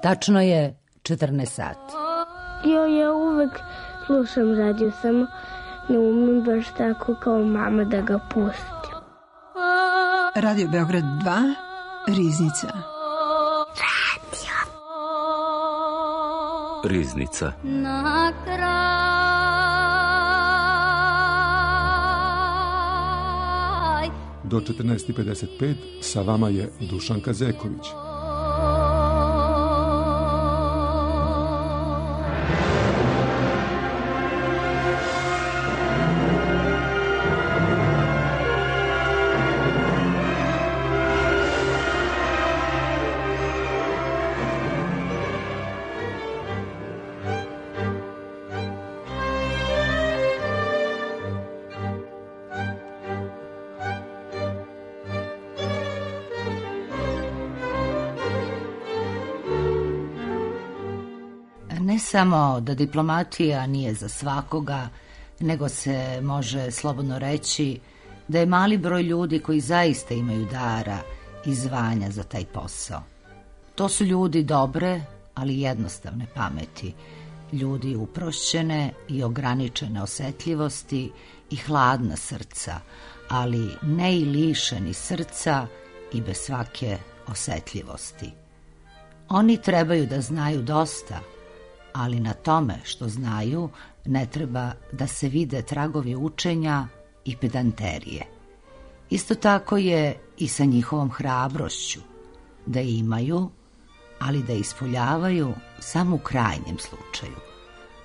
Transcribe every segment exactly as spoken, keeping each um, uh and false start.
Tačno je četrnaest sati. Jo, ja uvek slušam radio, samo ne umem baš tako kao mama da ga pustim. Radio Beograd dva, Riznica. Radio. Riznica. Na kraj do četrnaest i pedeset pet sa vama je Dušanka Zeković. Ne samo da diplomatija nije za svakoga, nego se može slobodno reći da je mali broj ljudi koji zaista imaju dara i zvanja za taj posao. To su ljudi dobre, ali jednostavne pameti, ljudi uprošćene i ograničene osetljivosti i hladna srca, ali ne i lišeni srca i bez svake osetljivosti. Oni trebaju da znaju dosta, ali na tome što znaju ne treba da se vide tragovi učenja i pedanterije. Isto tako je i sa njihovom hrabrošću, da imaju, ali da ispoljavaju samo u krajnjem slučaju.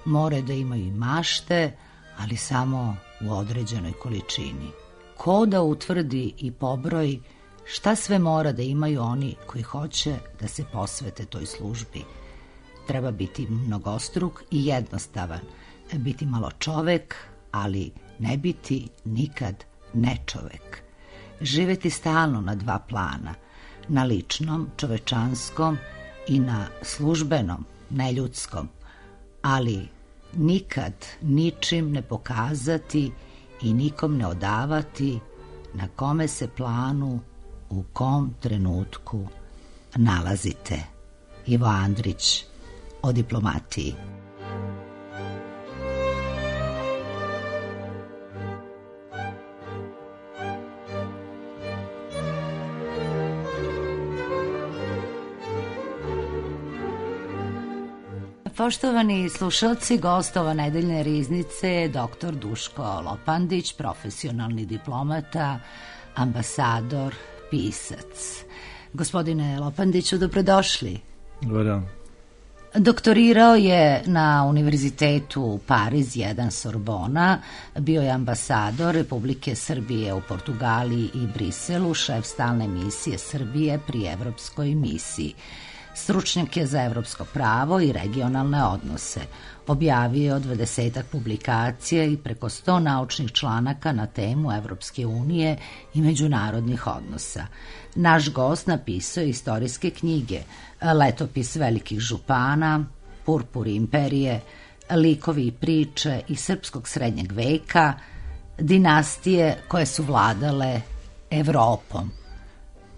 More da imaju i mašte, ali samo u određenoj količini. Ko da utvrdi i pobroji šta sve mora da imaju oni koji hoće da se posvete toj službi? Treba biti mnogostruk i jednostavan, biti malo čovek, ali ne biti nikad nečovek. Živeti stalno na dva plana, na ličnom, čovečanskom i na službenom, neljudskom, ali nikad ničim ne pokazati i nikom ne odavati na kome se planu u kom trenutku nalazite. Ivo Andrić o diplomatiji. Poštovani slušalci, gost ova nedeljne riznice je doktor Duško Lopandić, profesionalni diplomata, ambasador, pisac. Gospodine Lopandiću, dobrodošli. Dobar dan. Doktorirao je na Univerzitetu Pariz jedan Sorbona, bio je ambasador Republike Srbije u Portugaliji i Briselu, šef stalne misije Srbije pri Evropskoj misiji. Stručnjak je za evropsko pravo i regionalne odnose. Objavio dvadesetak publikacija i preko sto naučnih članaka na temu Evropske unije i međunarodnih odnosa. Naš gost napisao istorijske knjige, Letopis velikih župana, Purpuri imperije, Likovi i priče iz srpskog srednjeg veka, dinastije koje su vladale Evropom.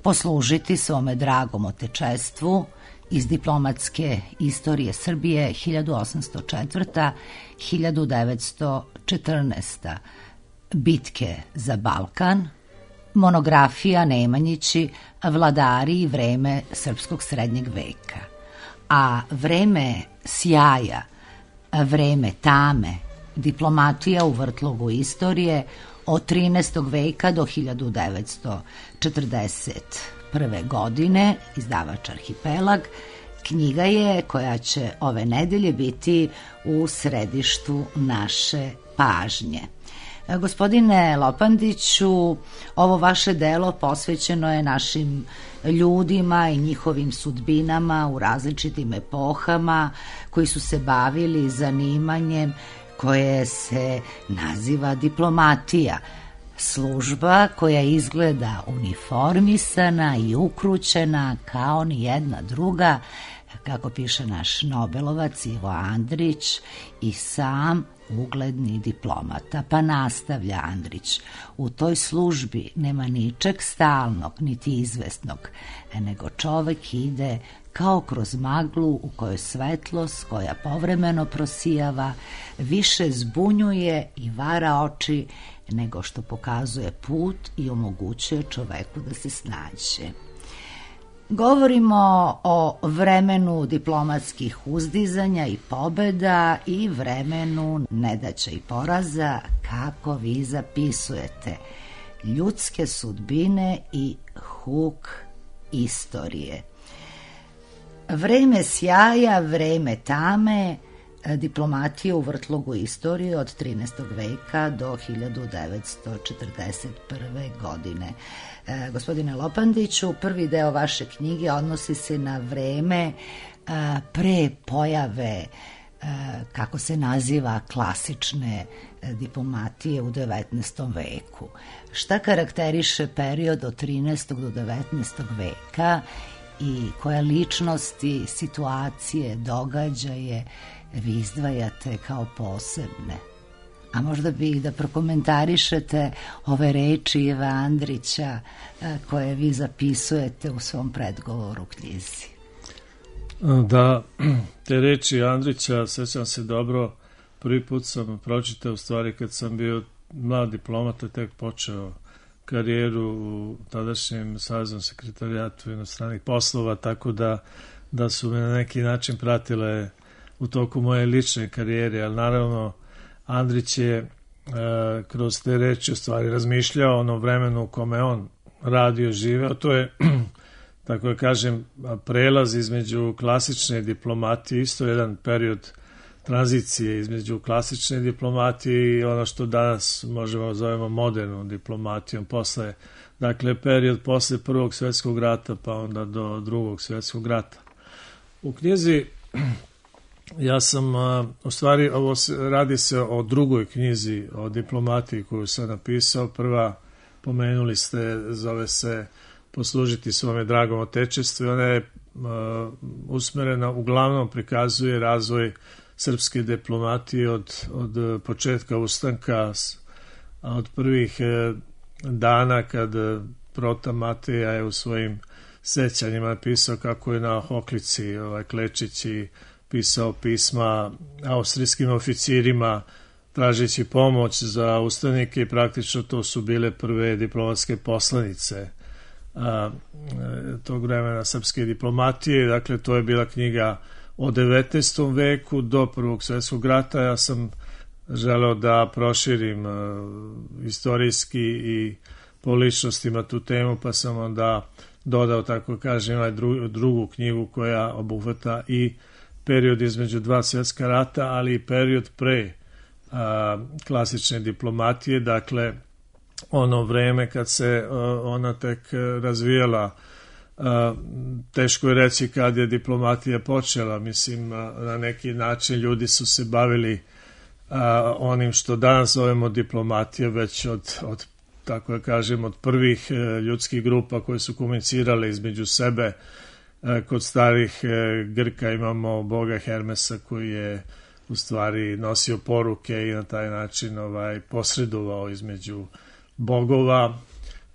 Poslužiti svome dragom otečestvu iz diplomatske istorije Srbije hiljadu osamsto četvrta do hiljadu devetsto četrnaesta. Bitke za Balkan, monografija Nemanjići, vladari i vreme srpskog srednjeg veka. A vreme sjaja, vreme tame, diplomatija u vrtlogu istorije od trinaestog veka do hiljadu devetsto četrdeset prve. godine, izdavač Arhipelag, knjiga je koja će ove nedelje biti u središtu naše pažnje. Gospodine Lopandiću, ovo vaše delo posvećeno je našim ljudima i njihovim sudbinama u različitim epohama koji su se bavili zanimanjem koje se naziva diplomatija. Služba koja izgleda uniformisana i ukrućena kao ni jedna druga, kako piše naš Nobelovac Ivo Andrić i sam ugledni diplomata. Pa nastavlja Andrić, u toj službi nema ničeg stalnog niti izvesnog, nego čovek ide kao kroz maglu u kojoj svetlost, koja povremeno prosijava, više zbunjuje i vara oči nego što pokazuje put i omogućuje čoveku da se snađe. Govorimo o vremenu diplomatskih uzdizanja i pobeda i vremenu nedaća i poraza, kako vi zapisujete, ljudske sudbine i huk istorije. Vreme sjaja, vreme tame, diplomatije u vrtlogu istorije od trinaestog veka do hiljadu devetsto četrdeset prve. godine. E, gospodine Lopandiću, prvi deo vaše knjige odnosi se na vreme e, pre pojave, e, kako se naziva, klasične e, diplomatije u devetnaestom veku. Šta karakteriše period od trinaestog do devetnaestog veka i koje ličnosti, situacije, događaje vi izdvajate kao posebne? A možda bi da prokomentarišete ove reči Ive Andrića koje vi zapisujete u svom predgovoru knjizi. Da, te reči Andrića, sećam se dobro, prvi put sam pročitao u stvari kad sam bio mlad diplomata, tek počeo karijeru u tadašnjem Saveznom sekretarijatu inostranih poslova, tako da, da su me na neki način pratile u toku moje lične karijere, ali naravno Andrić je e, kroz te reči u stvari razmišljao o onom vremenu u kome on radio, živeo. To je, tako da kažem, prelaz između klasične diplomatije, isto jedan period tranzicije između klasične diplomatije i ono što danas možemo zovemo modernom diplomatijom, posle, dakle period posle Prvog svjetskog rata pa onda do Drugog svjetskog rata. U knjizi ja sam, u stvari, ovo se, radi se o drugoj knjizi o diplomatiji koju sam napisao. Prva, pomenuli ste, zove se Poslužiti svome dragom otečestvu. Ona je uh, usmerena, uglavnom prikazuje razvoj srpske diplomatije od, od početka ustanka, od prvih uh, dana kad Prota Mateja je u svojim sećanjima pisao kako je na Hoklici ovaj, Klečići pisao pisma austrijskim oficirima tražeći pomoć za ustanike i praktično to su bile prve diplomatske poslanice a, tog vremena srpske diplomatije. Dakle, to je bila knjiga o devetnaestom veku do Prvog svjetskog rata. Ja sam želeo da proširim a, istorijski i po ličnostima tu temu, pa sam onda dodao, tako kažem, ovaj dru, drugu knjigu koja obuhvata i period između dva svjetska rata, ali i period pre a, klasične diplomatije, dakle ono vreme kad se a, ona tek razvijala. A, teško je reći kad je diplomatija počela, mislim, a, na neki način ljudi su se bavili a, onim što danas zovemo diplomatija već od, od tako da kažem, od prvih a, ljudskih grupa koje su komunicirale između sebe. Kod starih Grka imamo boga Hermesa koji je u stvari nosio poruke i na taj način ovaj, posredovao između bogova.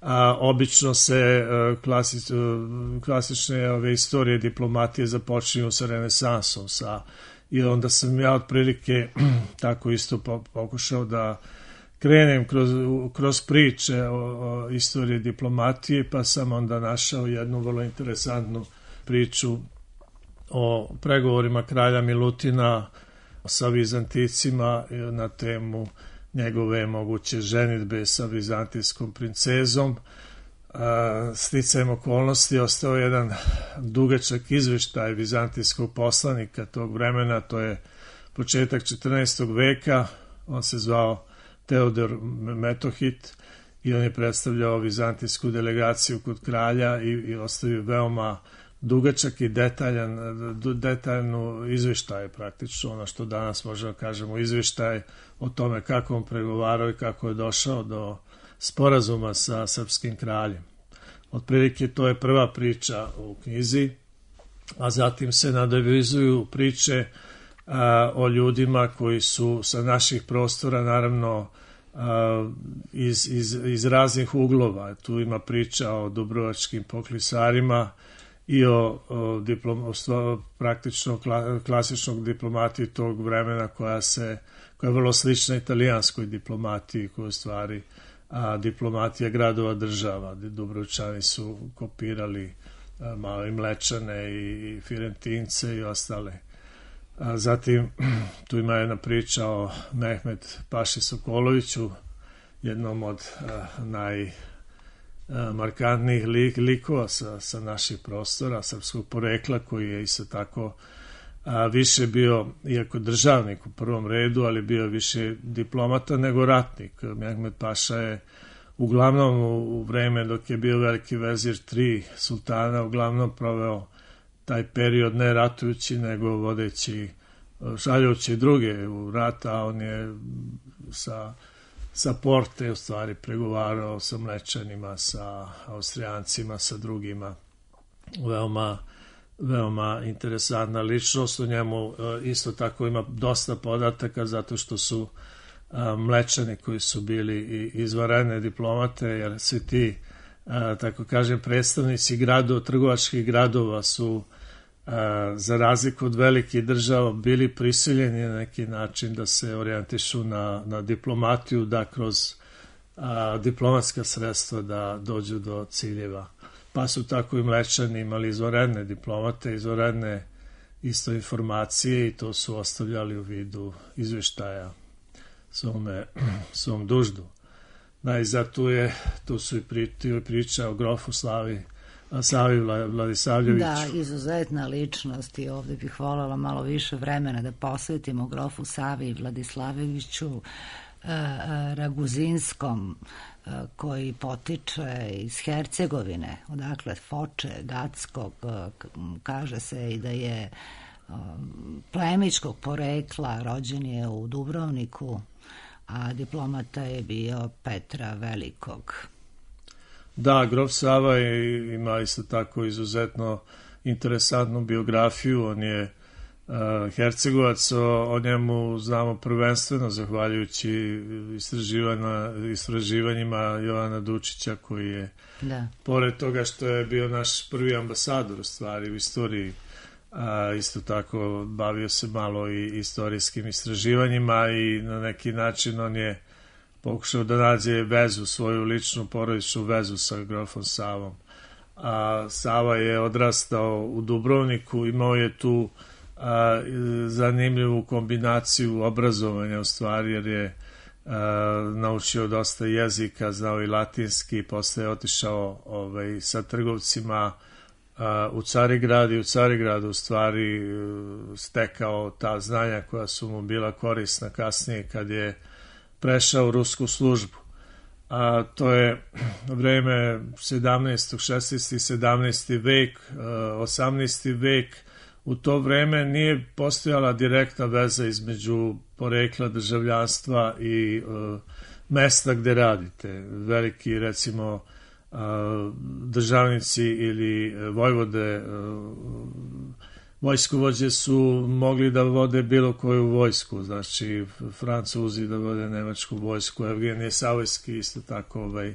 A, obično se klasič, klasične ove istorije diplomatije započinju sa renesansom. Sa, I onda sam ja otprilike tako isto pokušao da krenem kroz, kroz priče o, o istoriji diplomatije, pa sam onda našao jednu vrlo interesantnu priču o pregovorima kralja Milutina sa Vizanticima na temu njegove moguće ženidbe sa vizantijskom princezom. Sticajem okolnosti ostao jedan dugačak izveštaj vizantijskog poslanika tog vremena, to je početak četrnaestog veka, on se zvao Teodor Metohit i on je predstavljao vizantijsku delegaciju kod kralja i, i ostavio veoma dugačak i detaljan, detaljnu izveštaj, praktično ono što danas možemo kažemo izveštaj o tome kako on pregovarao i kako je došao do sporazuma sa srpskim kraljem. Otprilike to je prva priča u knjizi, a zatim se nadovezuju priče a, o ljudima koji su sa naših prostora, naravno a, iz, iz, iz raznih uglova. Tu ima priča o dubrovačkim poklisarima i o, o, diplom, o praktično kla, klasičnog diplomatiji tog vremena koja se koja je vrlo slična italijanskoj diplomatiji, koja je stvari a, diplomatija gradova država. Dubrovčani su kopirali a, malo i Mlečane i, i Firentince i ostale. A, zatim tu ima jedna priča o Mehmet Paši Sokoloviću, jednom od a, naj markantnih lik, likova sa, sa naših prostora, srpskog porekla, koji je isto tako a, više bio, iako državnik u prvom redu, ali bio više diplomata nego ratnik. Mehmet Paša je uglavnom u, u vreme dok je bio veliki vezir tri sultana, uglavnom proveo taj period ne ratujući, nego vodeći, šaljući druge u rat, a on je sa sa Porte u stvari pregovarao sa Mlečanima, sa Austrijancima, sa drugima. Veoma, veoma interesantna ličnost. O njemu isto tako ima dosta podataka, zato što su Mlečani koji su bili izvanredne diplomate, jer svi ti, tako kažem, predstavnici gradova, trgovačkih gradova su za razliku od velikih država bili prisiljeni na neki način da se orijentišu na, na diplomatiju, da kroz a, diplomatska sredstva da dođu do ciljeva. Pa su tako i Mlečani imali izvanredne diplomate, izvanredne isto informacije i to su ostavljali u vidu izveštaja svome, svom duždu. Najzad tu, je, tu su i pri, priča o grofu Slavi Savi Vladisavljeviću. Da, izuzetna ličnost i ovde bih voljela malo više vremena da posvetimo grofu Savi Vladisavljeviću Raguzinskom, koji potiče iz Hercegovine, odakle Foče, Gatskog, kaže se i da je plemićkog porekla, rođen je u Dubrovniku, a diplomata je bio Petra Velikog. Da, grof Sava je, ima isto tako izuzetno interesantnu biografiju. On je uh, Hercegovac, o, o njemu znamo prvenstveno zahvaljujući istraživanja, istraživanjima Jovana Dučića, koji je, da. Pored toga što je bio naš prvi ambasador u stvari u istoriji, a, isto tako bavio se malo i istorijskim istraživanjima i na neki način on je pokušao da nađe vezu, svoju ličnu porodičnu vezu sa grofom Savom. A Sava je odrastao u Dubrovniku, imao je tu a, zanimljivu kombinaciju obrazovanja u stvari, jer je a, naučio dosta jezika, znao i latinski, posle je otišao ovaj, sa trgovcima a, u Carigrad i u Carigradu u stvari stekao ta znanja koja su mu bila korisna kasnije kad je prešao u rusku službu. A to je vreme sedamnaesti, šesnaesti, sedamnaesti vek, osamnaesti vek. U to vreme nije postojala direktna veza između porekla državljanstva i uh, mesta gde radite. Veliki, recimo, uh, državnici ili vojvode, uh, vojskovođe su mogli da vode bilo koju vojsku, znači Francuzi da vode nemačku vojsku, Evgenije Savojski isto tako, ovaj,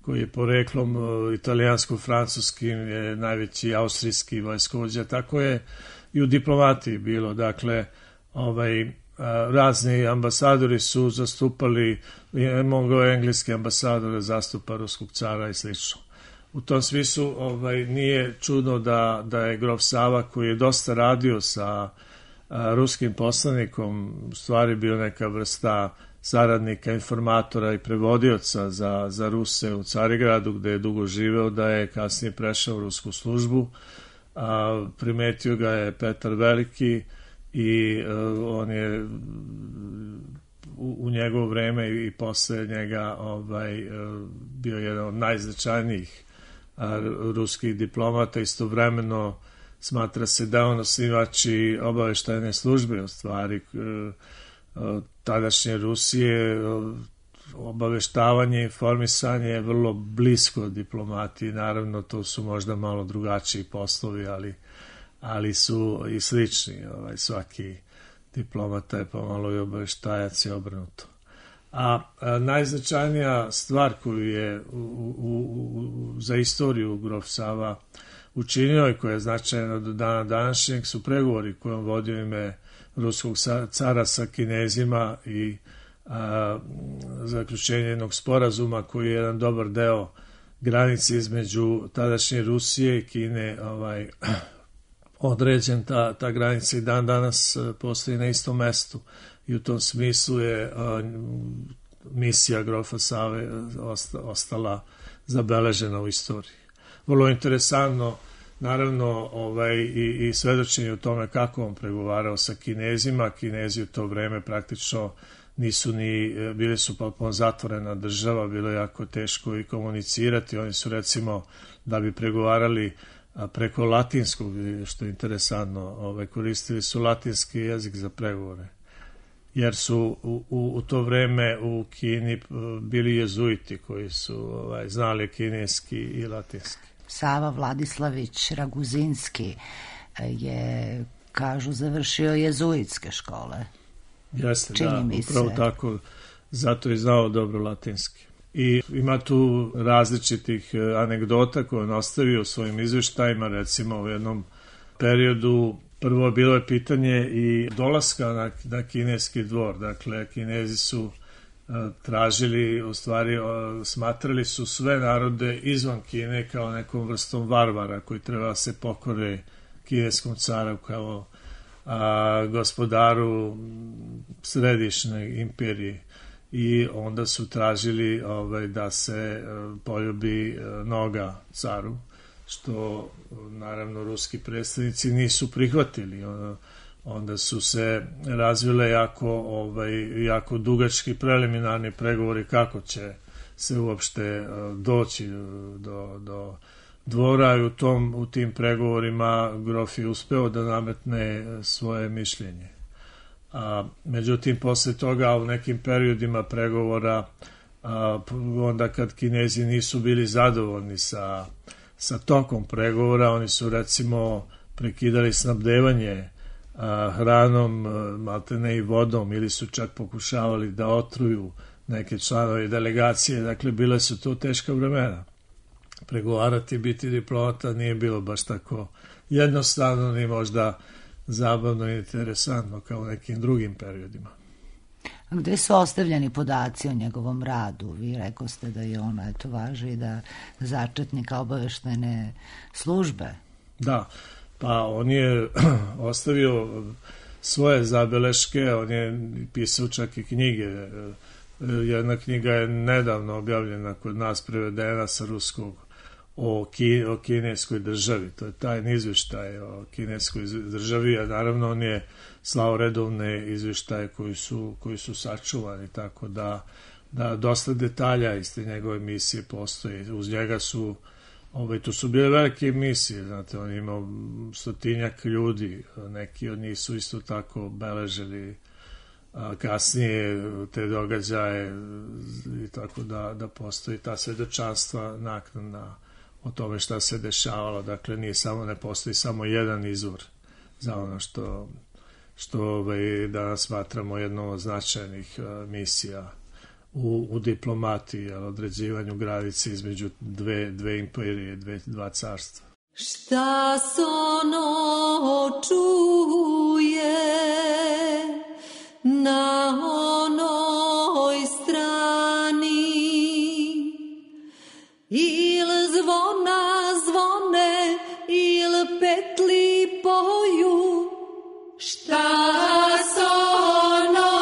koji je poreklom italijansko-francuskim, je najveći austrijski vojskovođa, tako je i u diplomatiji bilo, dakle, ovaj, razni ambasadori su zastupali, mogao je engleski ambasador da zastupa ruskog cara i slično. U tom smislu ovaj, nije čudno da, da je grof Sava, koji je dosta radio sa a, ruskim poslanikom, u stvari bio neka vrsta saradnika, informatora i prevodioca za, za Ruse u Carigradu, gde je dugo živeo, da je kasnije prešao u rusku službu. A, primetio ga je Petar Veliki i a, on je u, u njegovo vreme i, i posle njega ovaj, a, bio jedan od najznačajnijih a, ruskih diplomata. Istovremeno smatra se da on osnivač i obaveštajne službe, u stvari tadašnje Rusije. Obaveštavanje i informisanje je vrlo blisko diplomatiji, naravno to su možda malo drugačiji poslovi, ali, ali su i slični. Ovaj, svaki diplomata je pomalo i obaveštajac i obrnuto. A, a najznačajnija stvar koju je u, u, u, za istoriju grof Sava učinio i koja je značajna do dana današnjeg su pregovori koje on vodio ime ruskog cara sa Kinezima i a, zaključenje jednog sporazuma koji je jedan dobar deo granice između tadašnje Rusije i Kine ovaj, određen. Ta, ta granica i dan danas postoji na istom mestu i u tom smislu je a, misija grofa Save ostala zabeležena u istoriji. Vrlo interesantno, naravno, ovaj, i, i svedočenje o tome kako on pregovarao sa Kinezima. Kinezi u to vreme praktično nisu ni, bili su potpuno zatvorena država, bilo je jako teško i komunicirati. Oni su, recimo, da bi pregovarali preko latinskog, što je interesantno, ovaj, koristili su latinski jezik za pregovore, jer su u, u, u to vreme u Kini bili jezuiti koji su ovaj, znali kineski i latinski. Sava Vladislavić Raguzinski je, kažu, završio jezuitske škole. Jeste, čini da, mi upravo se. Tako, zato je znao dobro latinski. I ima tu različitih anegdota koje on ostavio u svojim izveštajima, recimo u jednom periodu. Prvo bilo je pitanje i dolaska na, na kineski dvor. Dakle, Kinezi su a, tražili, u stvari a, smatrali su sve narode izvan Kine kao nekom vrstom varvara koji treba se pokore kineskom caru kao a, gospodaru središnje imperije. I onda su tražili ovaj, da se a, poljubi a, noga caru, što naravno ruski predstavnici nisu prihvatili. Onda su se razvile jako, ovaj, jako dugački preliminarni pregovori kako će se uopšte doći do, do dvora i u, tom, u tim pregovorima grof je uspeo da nametne svoje mišljenje. A, međutim, posle toga u nekim periodima pregovora, a, onda kad Kinezi nisu bili zadovoljni sa sa tokom pregovora, oni su recimo prekidali snabdevanje a, hranom, a, maltene i vodom, ili su čak pokušavali da otruju neke članove delegacije. Dakle, bile su to teška vremena. Pregovarati, biti diplomata nije bilo baš tako jednostavno ni možda zabavno i interesantno kao u nekim drugim periodima. A gde su ostavljeni podaci o njegovom radu? Vi rekoste da je ona, eto, važi da začetnika obaveštene službe. Da, pa on je ostavio svoje zabeleške, on je pisao čak i knjige. Jedna knjiga je nedavno objavljena kod nas, prevedena sa ruskog, o, ki, o kineskoj državi. To je tajni izveštaj o kineskoj državi, a naravno on je slao redovne izveštaje koji su, koji su sačuvani, tako da, da dosta detalja iz te njegove misije postoji. Uz njega su, ovaj, tu su bile velike misije, znate, on je imao stotinjak ljudi, neki od njih su isto tako beležili a, kasnije te događaje i tako da, da postoji ta svedočanstva naknadna o tome šta se dešavalo. Dakle, nije samo, ne postoji samo jedan izvor za ono što, što ovaj, danas smatramo jednom od značajnih a, misija u, u diplomatiji, određivanju granice između dve, dve imperije, dve, dva carstva. Šta sono čuje na onoj strani, il zvona zvone, il petli poju, šta sono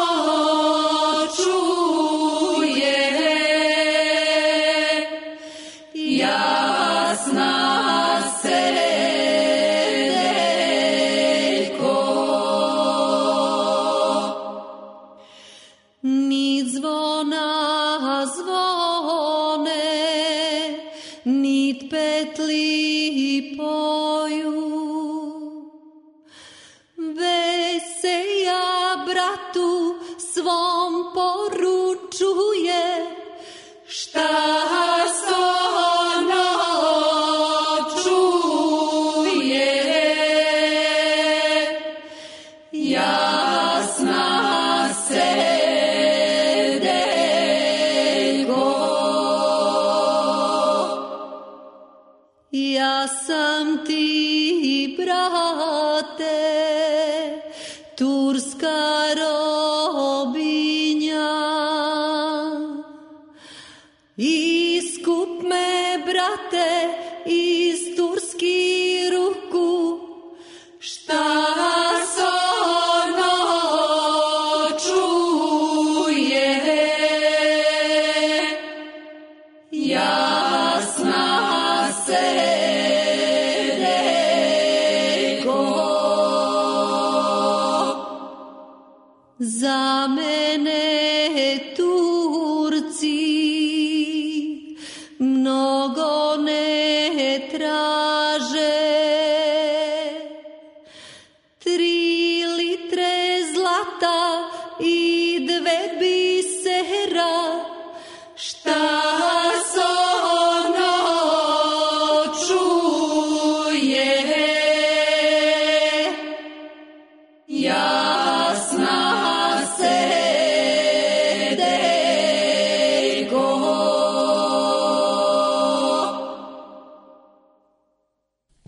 čuje, jasna se ni zvona zvone, nit petli poju. Veselja bratu svom poručuje, šta sono čuje, jasna se ja sam ti, brate, turska robinja. Iskup me, brate, iz turskih ruku, šta sono čuje, jasna se deko. Za mene Turci mnogo ne traže, tri litre zlata i dve bisera, šta sono čuje, jasna se deko.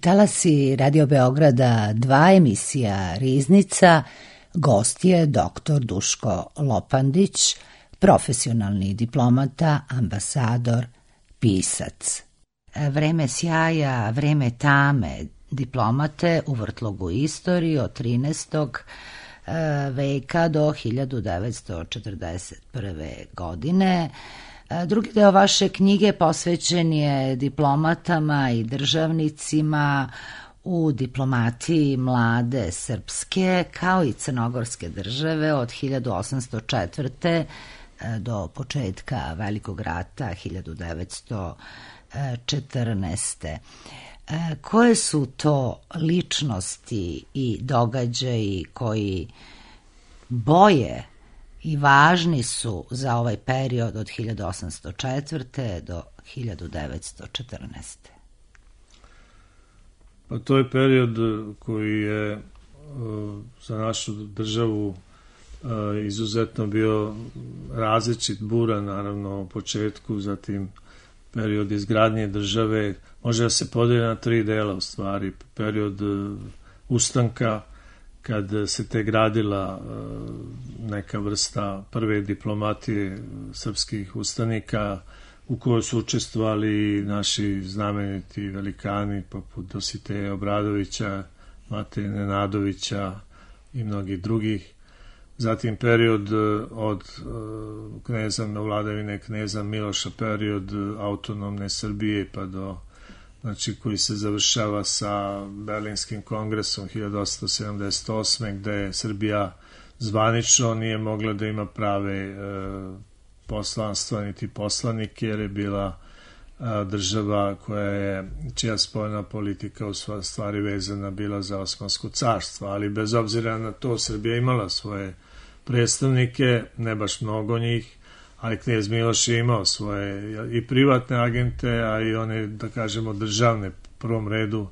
Talasi Radio Beograda dva, emisija Riznica. Gost je doktor Duško Lopandić, profesionalni diplomata, ambasador, pisac. Vreme sjaja, vreme tame diplomate u vrtlogu istorije od trinaestog veka do hiljadu devetsto četrdeset prve. godine. Drugi deo vaše knjige posvećen je diplomatama i državnicima u diplomatiji mlade srpske kao i crnogorske države od hiljadu osamsto četvrte. do početka Velikog rata hiljadu devetsto četrnaeste. Koje su to ličnosti i događaji koji boje i važni su za ovaj period od hiljadu osamsto četvrte. do hiljadu devetsto četrnaeste. Pa to je period koji je za našu državu izuzetno bio različit, buran naravno u početku, zatim period izgradnje države. Može da se podeli na tri dela u stvari. Period ustanka, kad se te gradila neka vrsta prve diplomatije srpskih ustanika u kojoj su učestvovali naši znameniti velikani poput Dositeja Obradovića, Mateje Nenadovića i mnogih drugih. Zatim period od kneza, vladavine kneza Miloša, period autonomne Srbije pa do, znači, koji se završava sa Berlinskim kongresom hiljadu osamsto sedamdeset osme. gde Srbija zvanično nije mogla da ima prave e, poslanstva niti poslanike, jer je bila a, država koja je, čija spoljna politika u stvari vezana bila za Osmansko carstvo, ali bez obzira na to Srbija imala svoje predstavnike, ne baš mnogo njih, ali knez Miloš je imao svoje i privatne agente, a i one, da kažemo, državne. U prvom redu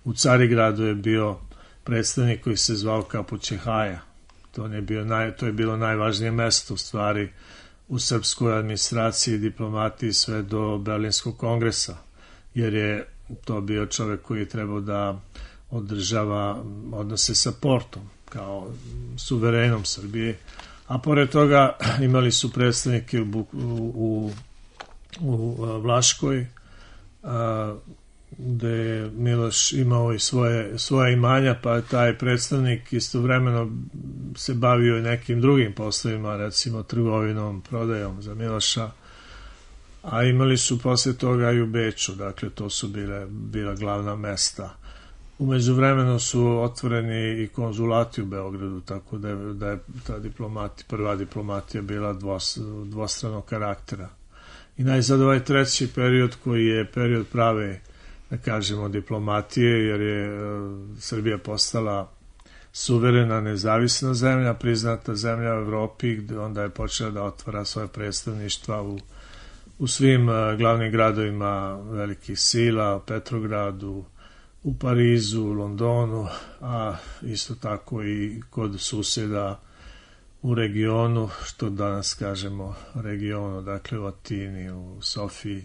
u Carigradu je bio predstavnik koji se zvao Kapućehaja. To je, bio naj, to je bilo najvažnije mesto u stvari u srpskoj administraciji i diplomatiji sve do Berlinskog kongresa, jer je to bio čovek koji je trebao da održava odnose sa Portom kao suverenom Srbije, a pored toga imali su predstavnike u, u, u Vlaškoj, a, gde je Miloš imao i svoje, svoje imanja, pa taj predstavnik istovremeno se bavio i nekim drugim poslovima, recimo trgovinom, prodajom za Miloša, a imali su posle toga i u Beču, dakle to su bile, bila glavna mesta. U međuvremenu su otvoreni i konzulati u Beogradu, tako da je, da je ta diplomati, prva diplomatija bila dvos, dvostranog karaktera. I najzad ovaj treći period koji je period prave, da kažemo, diplomatije, jer je Srbija postala suverena, nezavisna zemlja, priznata zemlja u Evropi, gde onda je počela da otvara svoje predstavništva u, u svim glavnim gradovima velikih sila, u Petrogradu, u Parizu, u Londonu, a isto tako i kod susjeda u regionu, što danas kažemo regionu, dakle u Atini, u Sofiji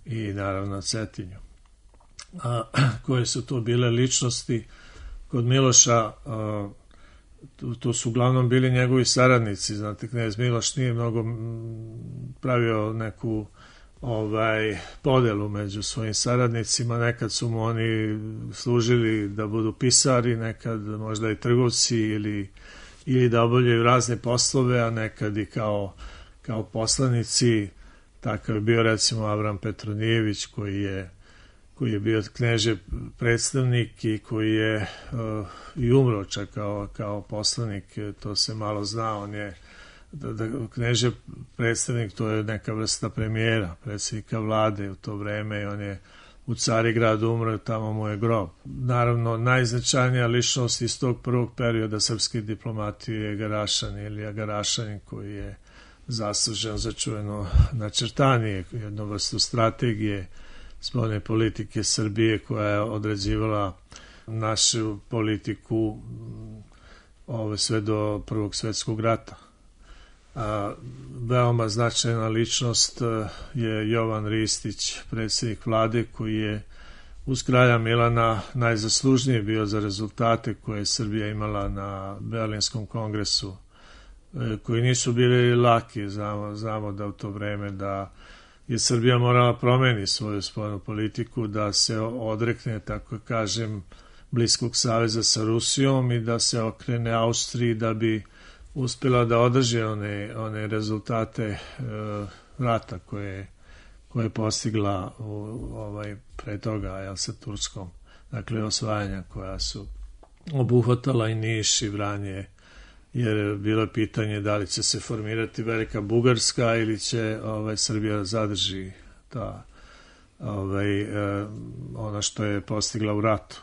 i naravno Cetinju. a, koje su to bile ličnosti. Kod Miloša a, to, to su uglavnom bili njegovi saradnici, znate, knez Miloš nije mnogo pravio neku ovaj podelu među svojim saradnicima, nekad su mu oni služili da budu pisari, nekad možda i trgovci ili, ili da obavljaju razne poslove, a nekad i kao, kao poslanici. Takav je bio recimo Avram Petronijević koji je koji je bio kneže predstavnik i koji je uh, i umro čak kao, kao poslanik, to se malo zna, on je da, da, kneže predstavnik, to je neka vrsta premijera, predsjednika vlade u to vreme i on je u Carigradu umro, tamo mu je grob. Naravno, najznačajnija ličnost iz tog prvog perioda srpske diplomatije je Garašanin, Ilija Garašanin, koji je zaslužen za čuveno načrtanje, jednu vrstu strategije spoljne politike Srbije koja je određivala našu politiku ove, sve do Prvog svjetskog rata. A, veoma značajna ličnost je Jovan Ristić, predsjednik vlade, koji je uz kralja Milana najzaslužniji bio za rezultate koje je Srbija imala na Berlinskom kongresu, koji nisu bili laki. Znamo, znamo da u to vreme da je Srbija morala promeni svoju spoljnu politiku, da se odrekne, tako kažem, bliskog saveza sa Rusijom i da se okrene Austriji da bi uspjela da održi one, one rezultate e, rata koje, koje je postigla u, ovaj, pre toga jel, sa Turskom. Dakle, osvajanja koja su obuhvatala i Niš i Vranje, jer bilo je pitanje da li će se formirati Velika Bugarska ili će ovaj, Srbija zadrži ta, ovaj, eh, ono što je postigla u ratu.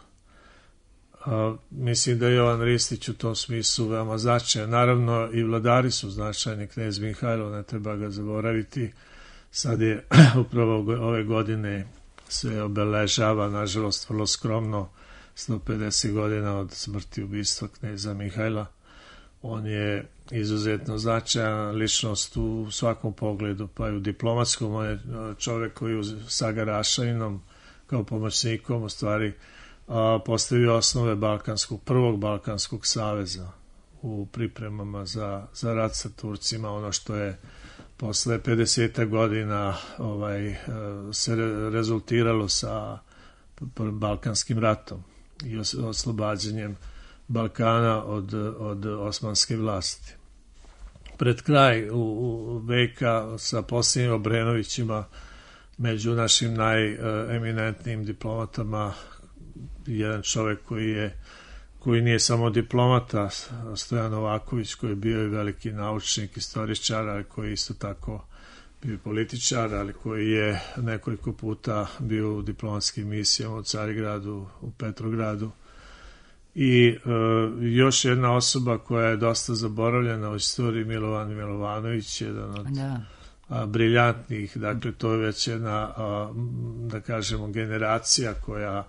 A, mislim da je Jovan Ristić u tom smislu veoma značajan. Naravno i vladari su značajni, knez Mihajlo, ne treba ga zaboraviti. Sad je upravo ove godine se obeležava, nažalost vrlo skromno, sto pedeset godina od smrti ubistva kneza Mihajla. On je izuzetno značajan ličnost u svakom pogledu, pa i u diplomatskom. On je čovjek koji sa Garašaninom kao pomoćnikom u stvari a, postavio osnove Balkanskog, prvog Balkanskog saveza u pripremama za, za rat sa Turcima, ono što je posle pedeset godina ovaj, se rezultiralo sa Balkanskim ratom i oslobađanjem Balkana od, od osmanske vlasti. Pred kraj u, u veka sa posljednjim Obrenovićima, među našim najeminentnijim diplomatama, jedan čovjek koji je koji nije samo diplomata, Stojan Novaković, koji je bio i veliki naučnik, istoričar, ali koji isto tako bio političar, ali koji je nekoliko puta bio u diplomatskim misijama u Carigradu, u Petrogradu. I e, još jedna osoba koja je dosta zaboravljena u istoriji, Milovan Milovanović, jedan od da. a, briljantnih, dakle to je već jedna, a, da kažemo, generacija koja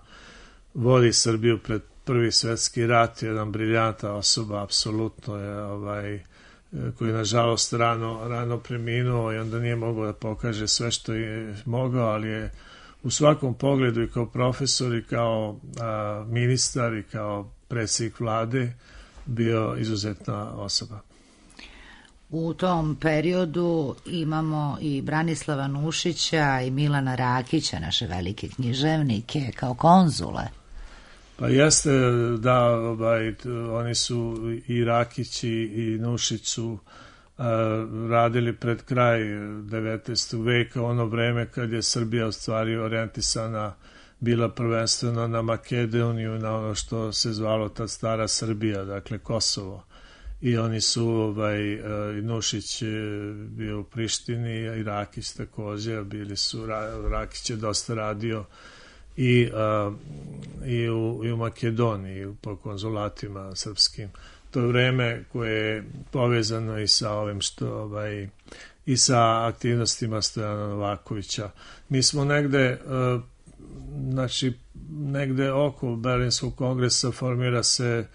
vodi Srbiju pred Prvi svjetski rat, jedan briljanta osoba, apsolutno je, ovaj, koji je nažalost rano, rano preminuo i onda nije mogao da pokaže sve što je mogao, ali je u svakom pogledu i kao profesor i kao a, ministar i kao predsjednik vlade bio izuzetna osoba. U tom periodu imamo i Branislava Nušića i Milana Rakića, naše velike književnike, kao konzule. Pa jeste da, ovaj, oni su i Rakić i Nušić su a, radili pred kraj devetnaestog veka, ono vreme kad je Srbija u stvari orijentisana bila prvenstveno na Makedoniju, na ono što se zvalo ta stara Srbija, dakle Kosovo. I oni su, ovaj, i Nušić bio u Prištini i Rakić također, bili su, Rakić je dosta radio i, a, i, u, i u Makedoniji po konzulatima srpskim. To je vreme koje je povezano i sa ovim što ovaj, i sa aktivnostima Stojana Novakovića. Mi smo negde a, znači negde oko Berlinskog kongresa formira se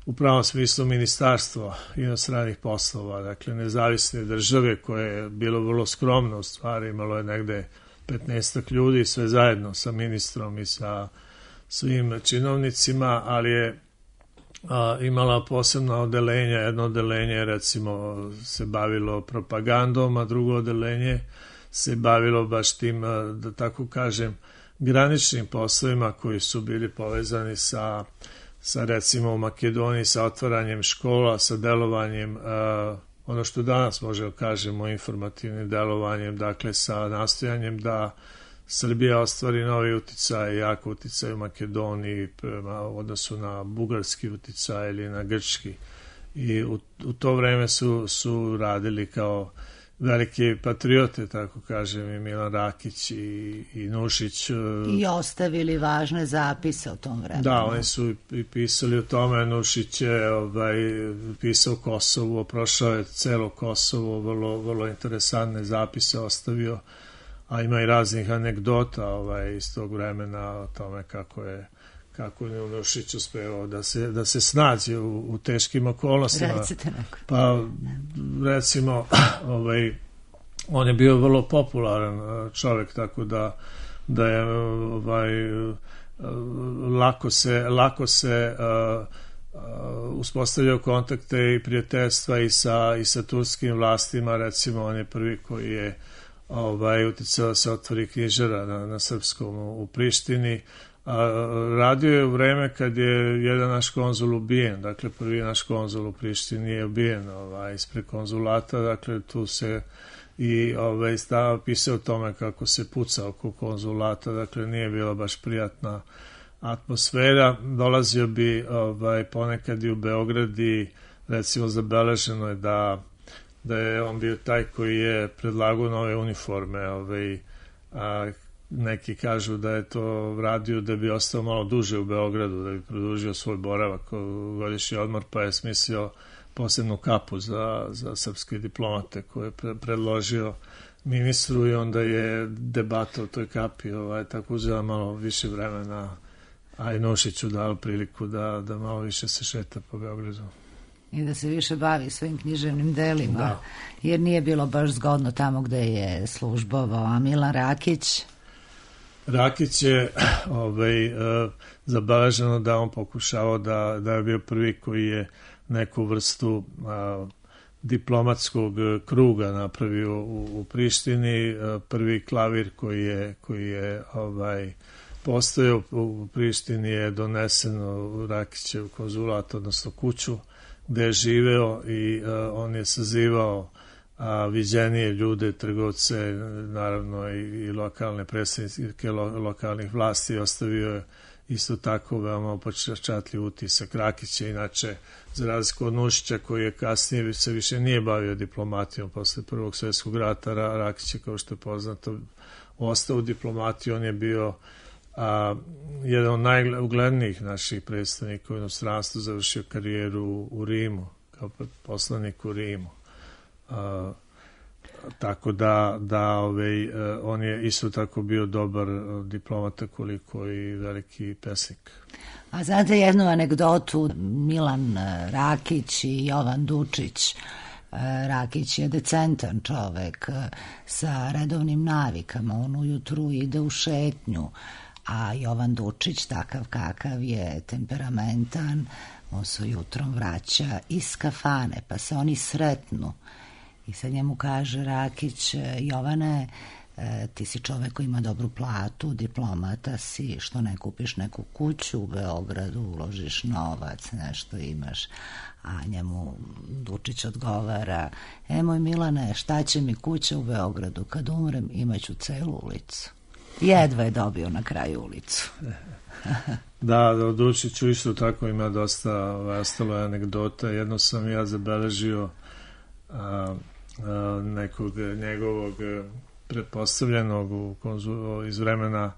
u pravom smislu ministarstvo inostranih poslova, dakle nezavisne države koje je bilo vrlo skromno u stvari, imalo je negde petnaestak ljudi, sve zajedno sa ministrom i sa svim činovnicima, ali je a, imala posebna odelenja. Jedno odelenje recimo se bavilo propagandom, a drugo odelenje se bavilo baš tim, da tako kažem, graničnim poslovima koji su bili povezani sa, sa recimo u Makedoniji, sa otvaranjem škola, sa delovanjem, a, ono što danas možemo kažemo informativnim delovanjem, dakle sa nastojanjem da Srbija ostvari novi uticaj, jako uticaj u Makedoniji prema odnosu na bugarski uticaj ili na grčki. I u, u to vreme su, su radili kao velike patriote, tako kažem, i Milan Rakić i, i Nušić. I ostavili važne zapise o tom vremenu. Da, oni su i pisali o tome. Nušić je ovaj, pisao Kosovo, prošao je celo Kosovo, vrlo, vrlo interesantne zapise ostavio, a ima i raznih anegdota ovaj, iz tog vremena o tome kako je kako je Nušić uspevao da se, da se snađe u, u teškim okolnostima. Recite neko. Pa, recimo, ovaj, on je bio vrlo popularan čovjek, tako da, da je ovaj, lako se, lako se uh, uh, uspostavljao kontakte i prijateljstva i sa, i sa turskim vlastima. Recimo, on je prvi koji je ovaj, uticao da se otvori knjižara na, na srpskom u, u Prištini. A, radio je u vreme kad je jedan naš konzul ubijen, dakle prvi naš konzul u Prištini je ubijen ovaj, ispred konzulata, dakle tu se i ovaj, stava pisao o tome kako se puca oko konzulata, dakle nije bila baš prijatna atmosfera. Dolazio bi ovaj, ponekad i u Beograd i recimo zabeleženo je da, da je on bio taj koji je predlagao nove uniforme, ovaj, a, neki kažu da je to radio da bi ostao malo duže u Beogradu, da bi produžio svoj boravak, godišnji odmor, pa je smislio posebnu kapu za, za srpske diplomate koje je pre, predložio ministru i onda je debata o toj kapi ovaj, tako uzela malo više vremena, a i Nušiću dao priliku da, da malo više se šeta po Beogradu. I da se više bavi svojim književnim delima, da. Jer nije bilo baš zgodno tamo gde je službovao. A Milan Rakić? Rakić je ovaj, uh, zabeleženo da on pokušao da, da je bio prvi koji je neku vrstu uh, diplomatskog kruga napravio u, u Prištini. Uh, prvi klavir koji je, koji je ovaj, postojao u Prištini je donesen u Rakićev konzulat, odnosno kuću gde je živeo i uh, on je sazivao a viđenije ljude, trgovce, naravno i, i lokalne predstavnike lo, lokalnih vlasti. Ostavio je isto tako veoma upečatljiv utisak. Rakić je inače, za razliku od Nušića koji je kasnije se više nije bavio diplomatijom posle Prvog svjetskog rata, Rakić je, kao što je poznato, ostao u diplomatiji. On je bio a, jedan od najuglednijih naših predstavnika u inostranstvu, završio karijeru u, u Rimu, kao poslanik u Rimu. Uh, tako da, da ovaj, uh, on je isto tako bio dobar uh, diplomata koliko i veliki pesnik. A znate jednu anegdotu, Milan Rakić i Jovan Dučić. Rakić je decentan čovek sa redovnim navikama, on ujutru ide u šetnju, a Jovan Dučić, takav kakav je, temperamentan, on se jutrom vraća iz kafane, pa se oni sretnu. I sad njemu kaže Rakić, Jovane, ti si čovek koji ima dobru platu, diplomata si, što ne kupiš neku kuću u Beogradu, uložiš novac, nešto imaš. A njemu Dučić odgovara, e moj Milane, šta će mi kuća u Beogradu, kad umrem imaću celu ulicu. Jedva je dobio na kraju ulicu. Da, da, Dučiću isto tako ima dosta ostalo anegdota. Jedno sam ja zabeležio a, a, nekog njegovog pretpostavljenog u konzul, iz vremena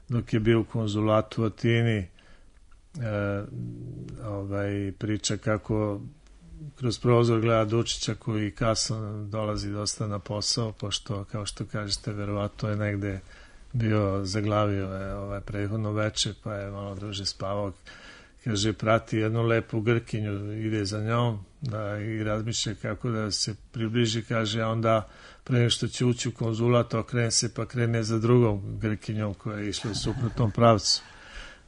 dok je bio u konzulatu u Atini, e, ovaj, priča kako kroz prozor gleda Dučića koji kasno dolazi dosta na posao, pošto, kao što kažete, verovatno je negde bio, zaglavio je ovaj prethodno veče, pa je malo duže spavao. kaže, prati jednu lepu Grkinju, ide za njom da, i razmišlja kako da se približi, kaže, a onda pre nego što će ući u konzulat, okrene se pa krene za drugom Grkinjom koja je išla u suprotnom pravcu.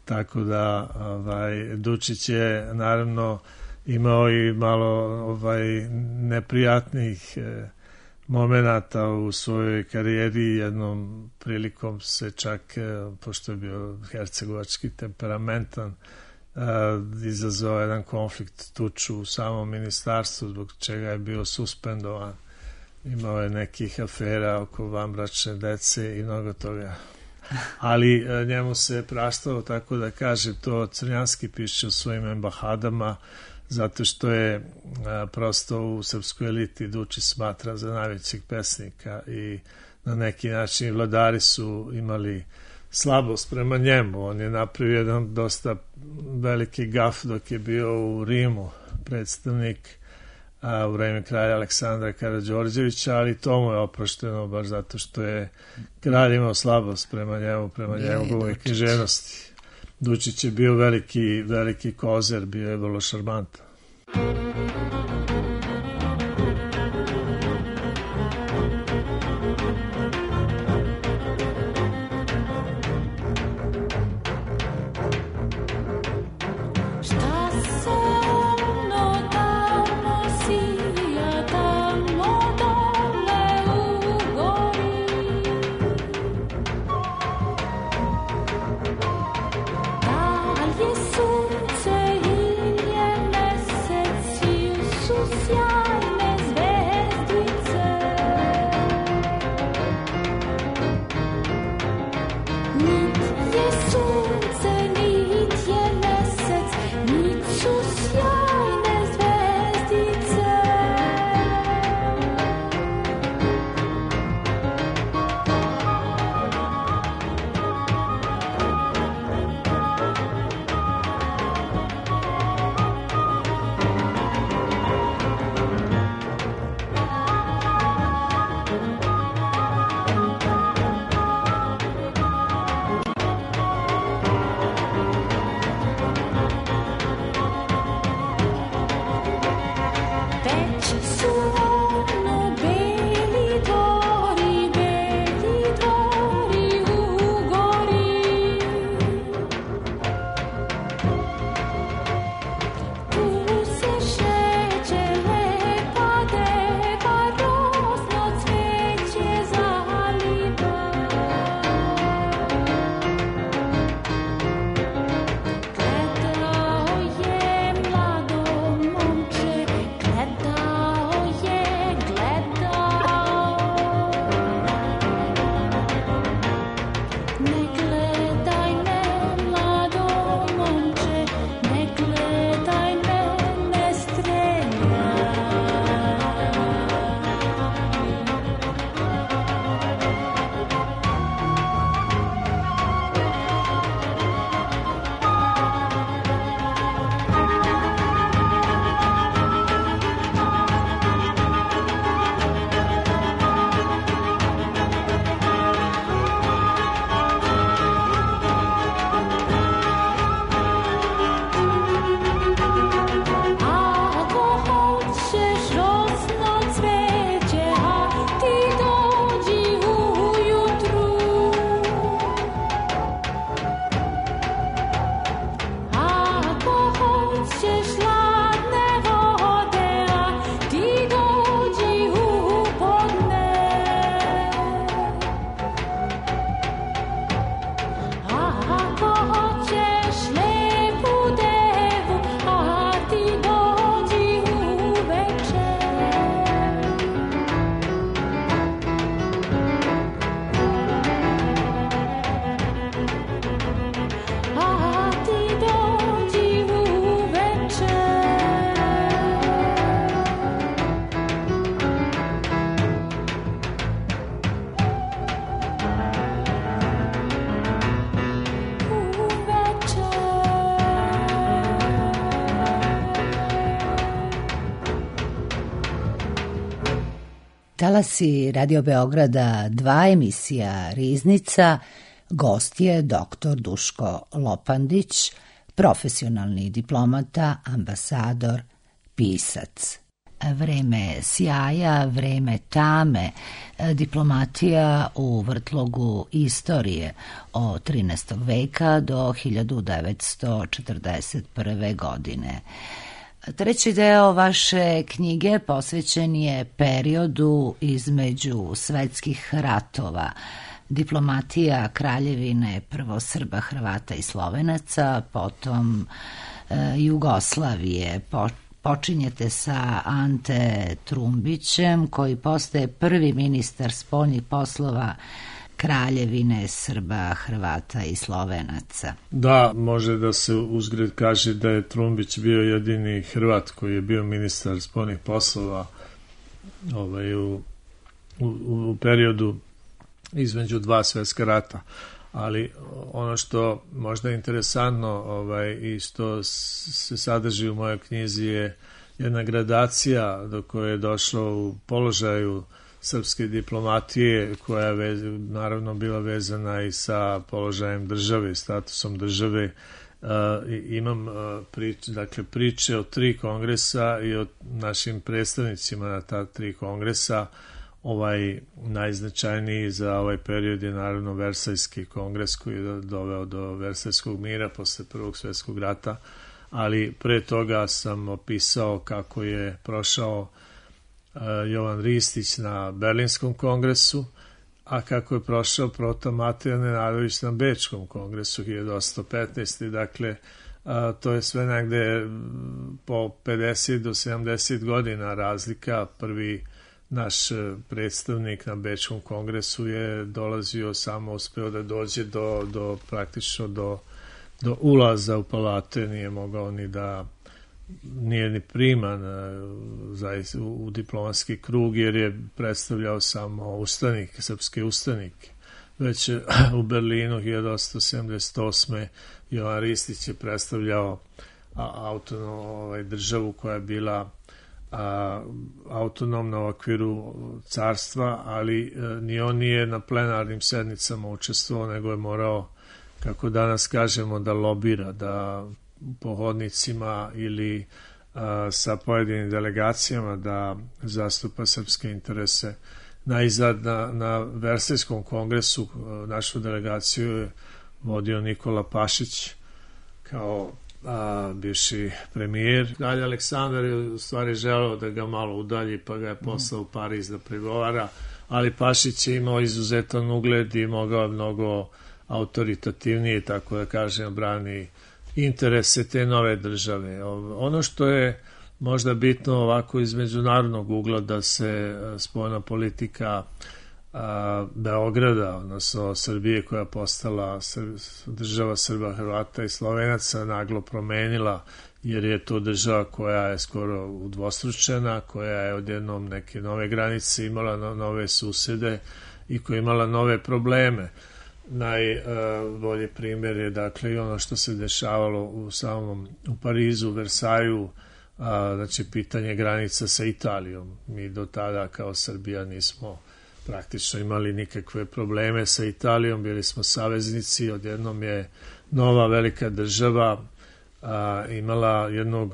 Tako da ovaj, Dučić je naravno imao i malo ovaj, neprijatnih eh, momenata u svojoj karijeri. Jednom prilikom se čak, eh, pošto je bio hercegovački temperamentan, eh, izazvao jedan konflikt, tuču u samom ministarstvu, zbog čega je bio suspendovan. Imao je nekih afera oko vanbračne dece i mnogo toga. Ali njemu se praštalo, tako da kaže, to Crnjanski piše u svojim embahadama, zato što je a, prosto u srpskoj eliti Dučić smatra za najvećeg pesnika i na neki način vladari su imali slabost prema njemu. On je napravio jedan dosta veliki gaf dok je bio u Rimu predstavnik a, u vreme kralja Aleksandra Karađorđevića, ali to mu je oprošteno baš zato što je kralj imao slabost prema njemu, prema njegovoj književnosti. Dučić je bio veliki, veliki kozer, bio je vrlo šarmantan. Talasi Radio Beograda dva, emisija Riznica, gost je doktor Duško Lopandić, profesionalni diplomata, ambasador, pisac. Vreme sjaja, vreme tame, diplomatija u vrtlogu istorije od trinaestog veka do hiljadu devetsto četrdeset prve. godine. Treći deo vaše knjige posvećen je periodu između svetskih ratova, diplomatija kraljevine prvo Srba, Hrvata i Slovenaca, potom e, Jugoslavije. Po, počinjete sa Ante Trumbićem, koji postaje prvi ministar spoljnih poslova kraljevine Srba, Hrvata i Slovenaca. Da, može da se uzgred kaže da je Trumbić bio jedini Hrvat koji je bio ministar spoljnih poslova ovaj, u, u, u periodu između dva svetska rata. Ali ono što možda je interesantno ovaj, i što se sadrži u mojoj knjizi je jedna gradacija do koje je došlo u položaju srpske diplomatije, koja je vez, naravno bila vezana i sa položajem države, statusom države. Uh, imam uh, prič, dakle, priče o tri kongresa i o našim predstavnicima na ta tri kongresa. Ovaj najznačajniji za ovaj period je naravno Versajski kongres, koji je doveo do Versajskog mira posle Prvog svjetskog rata, ali pre toga sam opisao kako je prošao uh, Jovan Ristić na Berlinskom kongresu, a kako je prošao Proto Matija Nenadović na Bečkom kongresu hiljadu osamsto petnaeste. Dakle, a, to je sve negde po pedeset do sedamdeset godina razlika. Prvi naš predstavnik na Bečkom kongresu je dolazio, samo uspeo da dođe do, do praktično do, do ulaza u palate, nije mogao ni da nije ni priman zaista u diplomatski krug, jer je predstavljao samo ustanike, srpske ustanike. Već u Berlinu hiljadu osamsto sedamdeset osme. Jovan Ristić je predstavljao autonomnu ovaj, državu koja je bila a, autonomna u okviru carstva, ali a, ni on nije na plenarnim sednicama učestvovao, nego je morao, kako danas kažemo, da lobira, da po hodnicima ili a, sa pojedinim delegacijama da zastupa srpske interese. Najzad na, na Versajskom kongresu a, našu delegaciju je vodio Nikola Pašić kao a, bivši premijer. Kralj Aleksandar je u stvari želeo da ga malo udalji, pa ga je poslao u Pariz da pregovara, ali Pašić je imao izuzetan ugled i mogao mnogo autoritativnije, tako da kažem, brani interese te nove države. Ono što je možda bitno ovako iz međunarodnog ugla, da se spoljna politika a, Beograda, odnosno Srbije, koja je postala država Srba, Hrvata i Slovenaca, naglo promenila, jer je to država koja je skoro udvostručena, koja je odjednom neke nove granice imala, no, nove susede i koja je imala nove probleme. Najbolji primjer je dakle i ono što se dešavalo u samom u Parizu, Versaju, a, znači pitanje granica sa Italijom. Mi do tada kao Srbija nismo praktično imali nikakve probleme sa Italijom, bili smo saveznici. Odjednom je nova velika država a, imala jednog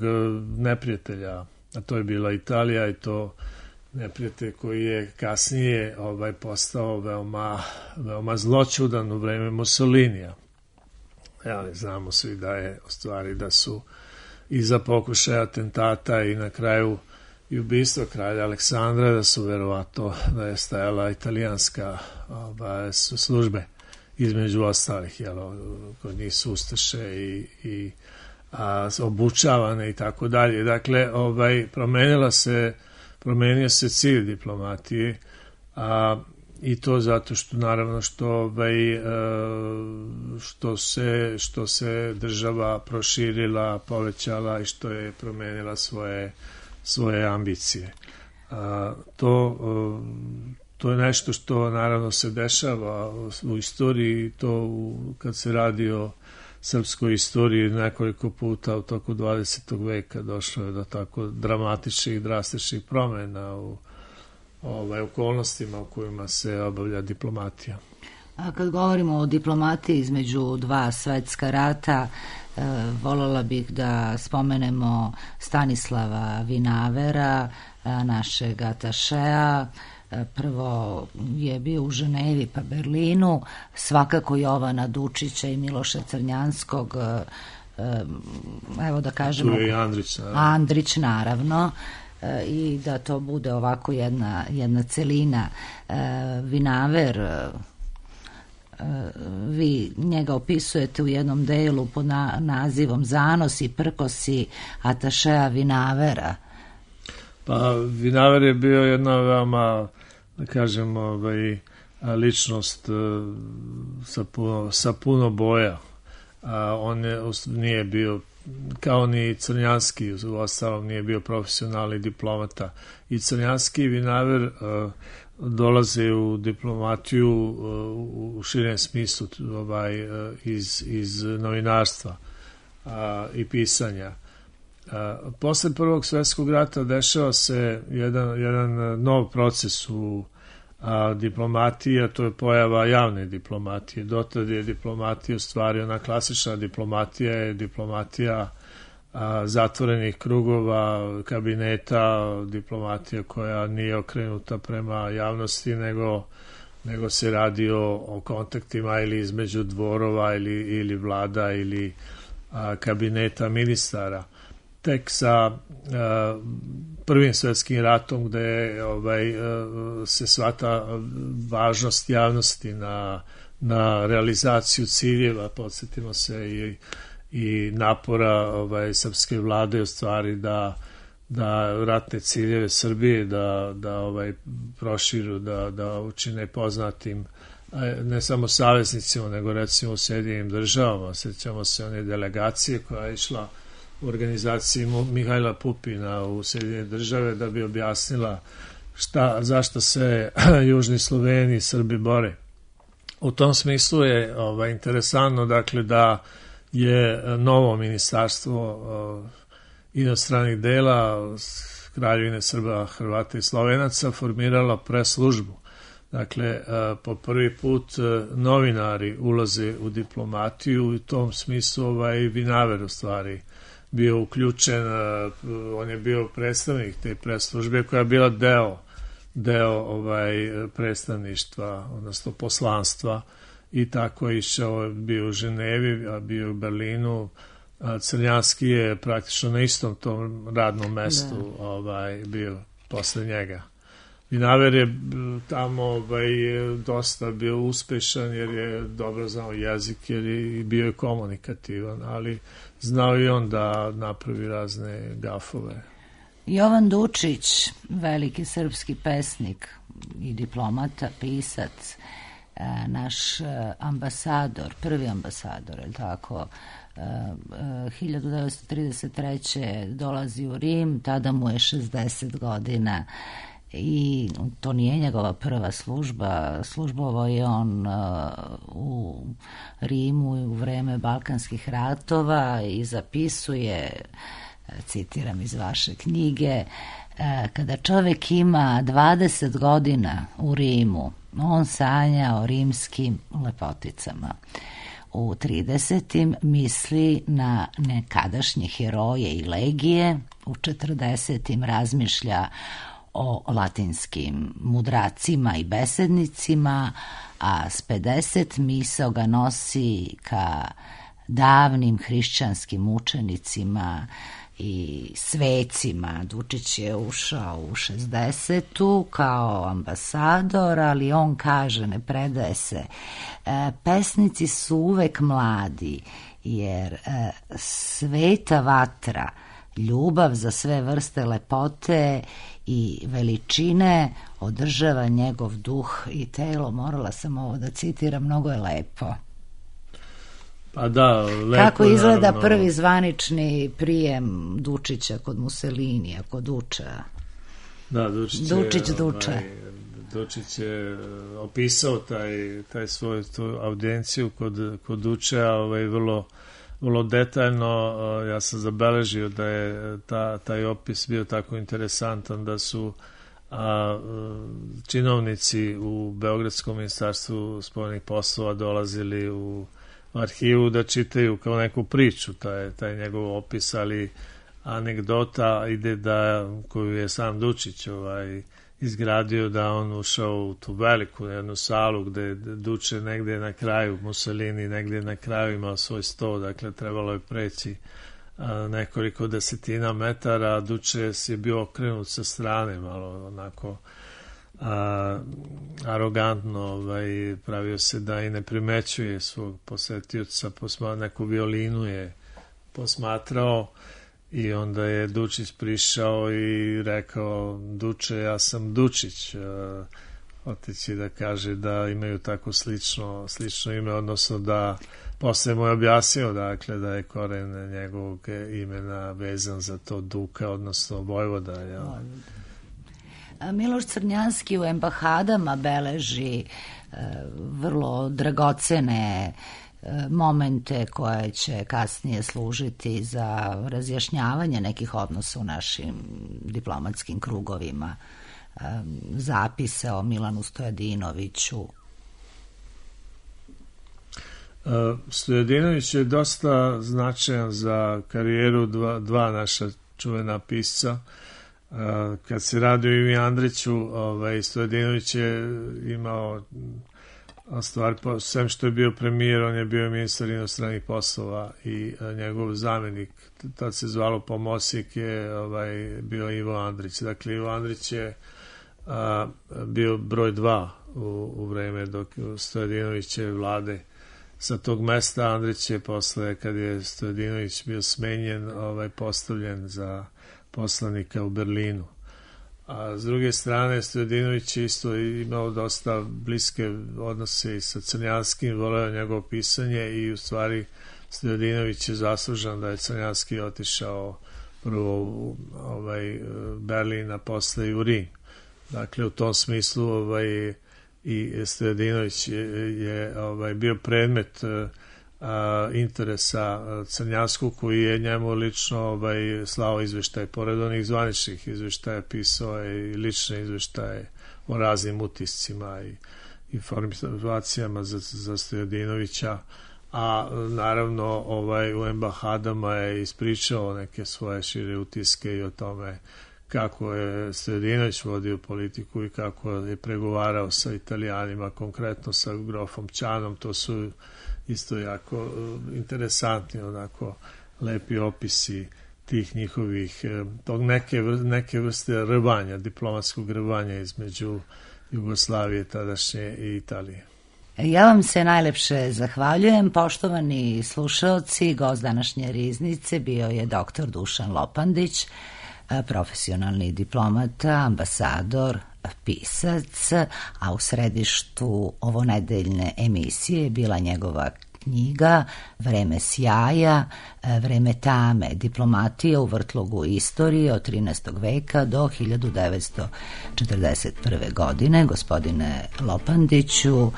neprijatelja, a to je bila Italija, i to neprijatelj koji je kasnije ovaj, postao veoma, veoma zloćudan u vreme Mussolinija. Ja, znamo svi da je u stvari da su iza pokušaja atentata i na kraju i ubistva kralja Aleksandra, da su verovatno da je stajala italijanska ovaj, službe između ostalih, jel, kod njih su ustaše i, i a, obučavane i tako dalje. Dakle, ovaj, promenila se promenio se cilj diplomatije, a, i to zato što naravno što, ovaj, što, se, što se država proširila, povećala i što je promenila svoje, svoje ambicije. A, to, to je nešto što naravno se dešava u istoriji, to u, kad se radi o srpskoj istoriji nekoliko puta u toku dvadesetog veka došlo je do tako dramatičnih, drastičnih promjena u ovaj, okolnostima u kojima se obavlja diplomatija. A kad govorimo o diplomatiji između dva svetska rata, voljela bih da spomenemo Stanislava Vinavera, našeg atašea. Prvo je bio u Ženevi pa Berlinu, svakako Jovana Dučića i Miloša Crnjanskog, evo da kažemo, tu je i Andrić, naravno. Andrić naravno, i da to bude ovako jedna, jedna celina. Vinaver, vi njega opisujete u jednom delu pod na, nazivom Zanosi, prkosi atašea Vinavera. Pa Vinaver je bio jedna veoma, da kažem, ovaj, ličnost sa puno, sa puno boja. A on je, nije bio, kao ni Crnjanski, u ostalom nije bio profesionalni diplomata. I Crnjanski i Vinaver uh, dolaze u diplomatiju uh, u širem smislu ovaj, uh, iz, iz novinarstva uh, i pisanja. Uh, posle Prvog svjetskog rata dešava se jedan, jedan nov proces u a, diplomatija, to je pojava javne diplomatije. Dotad je diplomatija u stvari ona klasična diplomatija, je diplomatija a, zatvorenih krugova, kabineta, diplomatija koja nije okrenuta prema javnosti, nego, nego se radi o, o kontaktima ili između dvorova ili, ili vlada ili a, kabineta ministara. Tek sa uh, Prvim svjetskim ratom gde ovaj, uh, se shvata važnost javnosti na, na realizaciju ciljeva, podsjetimo se i, i napora ovaj, srpske vlade u stvari da, da ratne ciljeve Srbije da, da ovaj, proširu, da, da učine poznatim ne samo saveznicima, nego recimo u Sjedinjenim državama. Sjećamo se one delegacije koja je išla u organizaciji Mihajla Pupina u Sjedinjene države da bi objasnila šta, zašto se južni Sloveni i Srbi bore. U tom smislu je ovaj, interesantno dakle, da je novo ministarstvo uh, inostranih dela Kraljevine Srba, Hrvata i Slovenaca formirala preslužbu. Dakle, uh, po prvi put uh, novinari ulaze u diplomatiju i u tom smislu ovaj, Vinaver u stvari bio uključen, on je bio predstavnik te preslužbe koja je bila deo, deo ovaj, predstavništva, odnosno poslanstva i tako je išao, bio u Ženevi, a bio u Berlinu. A Crnjanski je praktično na istom tom radnom mestu ovaj, bio posle njega. Vinaver je tamo ovaj, dosta bio uspešan jer je dobro znao jezik, jer je bio je komunikativan, ali znao i on da napravi razne gafove. Jovan Dučić, veliki srpski pesnik i diplomata, pisac, naš ambasador, prvi ambasador, je li tako, hiljadu devetsto trideset treće dolazi u Rim, tada mu je šezdeset godina i to nije njegova prva služba. Službovao je on uh, u Rimu u vreme Balkanskih ratova i zapisuje, citiram iz vaše knjige, kada čovjek ima dvadeset godina u Rimu, on sanja o rimskim lepoticama. U tridesetim misli na nekadašnje heroje i legije, u četrdesetim razmišlja o latinskim mudracima i besednicima, a s pedeset misao ga nosi ka davnim hrišćanskim učenicima i svecima. Dučić je ušao u šezdesetu kao ambasador, ali on kaže, ne predaje se, e, pesnici su uvek mladi, jer e, sveta vatra, ljubav za sve vrste lepote i veličine održava njegov duh i telo. Morala sam ovo da citiram, mnogo je lepo. Pa da, lepo, kako izgleda naravno, prvi zvanični prijem Dučića kod Mussolinija, kod Duča? Da, Dučić, Dučić je, Duča. ovaj, Dučić je opisao taj, taj svoj tu audijenciju kod, kod Duča ovaj, vrlo, vrlo detaljno. Ja sam zabeležio da je ta, taj opis bio tako interesantan da su a, činovnici u Beogradskom ministarstvu spoljnih poslova dolazili u arhivu da čitaju kao neku priču, taj, taj njegov opis, ali anegdota ide da, koju je sam Dučić ovaj, izgradio, da on ušao u tu veliku jednu salu gde Duče negde na kraju, Mussolini negde na kraju imao svoj sto, dakle trebalo je preći a, nekoliko desetina metara, a Duče je bio okrenut sa strane, malo onako a, arogantno, ovaj, pravio se da i ne primećuje svog posetioca, posma, neku violinu je posmatrao. I onda je Dučić prišao i rekao, Duče, ja sam Dučić, otići da kaže da imaju tako slično, slično ime, odnosno da posle mu je objasnio, dakle, da je koren njegovog imena vezan za to Duka, odnosno Vojvoda. Ja. Miloš Crnjanski u Embahadama beleži e, vrlo dragocene momente koje će kasnije služiti za razjašnjavanje nekih odnosa u našim diplomatskim krugovima, zapise o Milanu Stojadinoviću. Stojadinović je dosta značajan za karijeru dva, dva naša čuvena pisca. Kad se radi o Ivi Andriću, ovaj, Stojadinović je imao a stvar, sem što je bio premijer, on je bio ministar inostranih poslova i a, njegov zamenik, tad se zvalo pomosnik, je ovaj, bio Ivo Andrić. Dakle, Ivo Andrić je a, bio broj dva u, u vreme dok Stojadinovićeve vlade sa tog mesta. Andrić je posle, kad je Stojadinović bio smenjen, ovaj, postavljen za poslanika u Berlinu. A s druge strane, Stojadinović je isto imao dosta bliske odnose i sa Crnjanskim, voleo njegovo pisanje i u stvari Stojadinović je zaslužan da je Crnjanski otišao prvo u ovaj, Berlin, a posle i u Rim. Dakle, u tom smislu ovaj, i Stojadinović je, je ovaj, bio predmet a, interesa Crnjanskog, koji je njemu lično ovaj, slao izveštaje, pored onih zvaničnih izveštaja, pisao je i lične izveštaje o raznim utiscima i informacijama za, za Stojadinovića, a naravno ovaj, u Embahadama je ispričao neke svoje šire utiske i o tome kako je Stojadinović vodio politiku i kako je pregovarao sa Italijanima, konkretno sa grofom Ćanom. To su isto jako interesantni, onako lepi opisi tih njihovih, tog neke, neke vrste rvanja, diplomatskog rvanja između Jugoslavije tadašnje i Italije. Ja vam se najlepše zahvaljujem, poštovani slušaoci. Gost današnje riznice bio je doktor Dušan Lopandić, profesionalni diplomata, ambasador, pisac, a u središtu ovonedeljne emisije je bila njegova knjiga Vreme sjaja, vreme tame, diplomatija u vrtlogu istorije od trinaestog veka do hiljadu devetsto četrdeset prve. godine. Gospodine Lopandiću,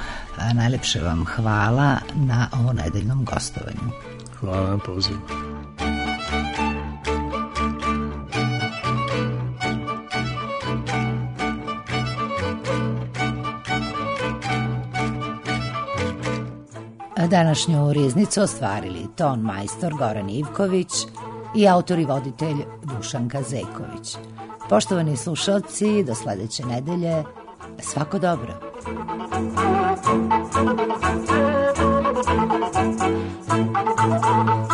najlepše vam hvala na ovonedeljnom gostovanju. Hvala na pozivu. Današnju riznicu ostvarili ton majstor Goran Ivković i autor i voditelj Dušan Kazeković. Poštovani slušalci, do sledeće nedelje, svako dobro. Thank you.